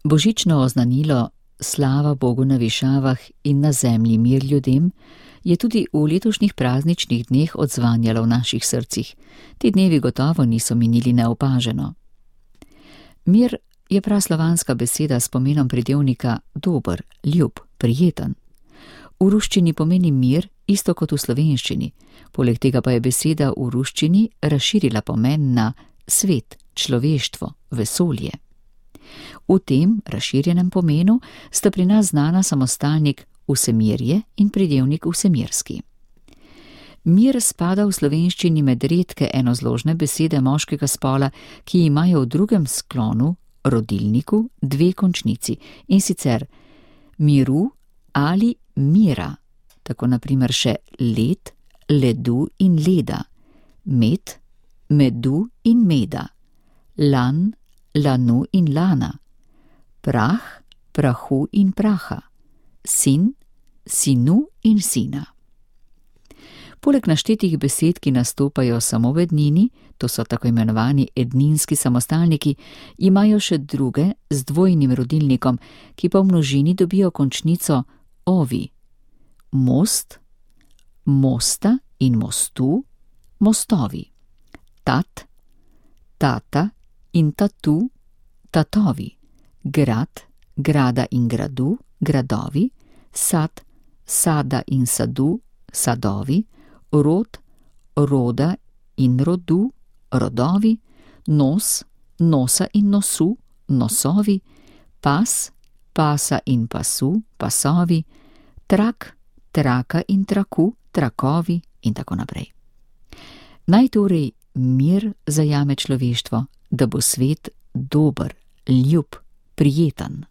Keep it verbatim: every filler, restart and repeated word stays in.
Božično oznanilo slava Bogu na višavah in na zemlji mir ljudem je tudi v letošnjih prazničnih dneh odzvanjalo v naših srcih. Ti dnevi gotovo niso minili neopaženo. Mir je praslovanska beseda s pomenom pridevnika dober, ljub, prijeten. V ruščini pomeni mir isto kot v slovenščini, poleg tega pa je beseda v ruščini razširila pomen na svet, človeštvo, vesolje. V tem razširjenem pomenu sta pri nas znana samostalnik vsemirje in pridevnik vsemirski. Mir spada v slovenščini med redke enozložne besede moškega spola, ki imajo v drugem sklonu, rodilniku, dve končnici, in sicer miru ali mira, tako na primer še led, ledu in leda, med, medu in meda, lan, lanu in lana, prah, prahu in praha, sin, sinu in sina. Poleg naštetih besed, ki nastopajo samo v ednini, to so tako imenovani edninski samostalniki, imajo še druge z dvojnim rodilnikom, ki pa v množini dobijo končnico ovi. Most, mosta in mostu, mostovi. Tat, tata in tatu, tatovi. Grad, grada in gradu, gradovi. Sad, sada in sadu, sadovi. Rod, roda in rodu, rodovi. Nos, nosa in nosu, nosovi. Pas, pasa in pasu, pasovi. Trak, traka in traku, trakovi in tako naprej. Naj torej mir zajame človeštvo, da bo svet dober, ljub, prijeten.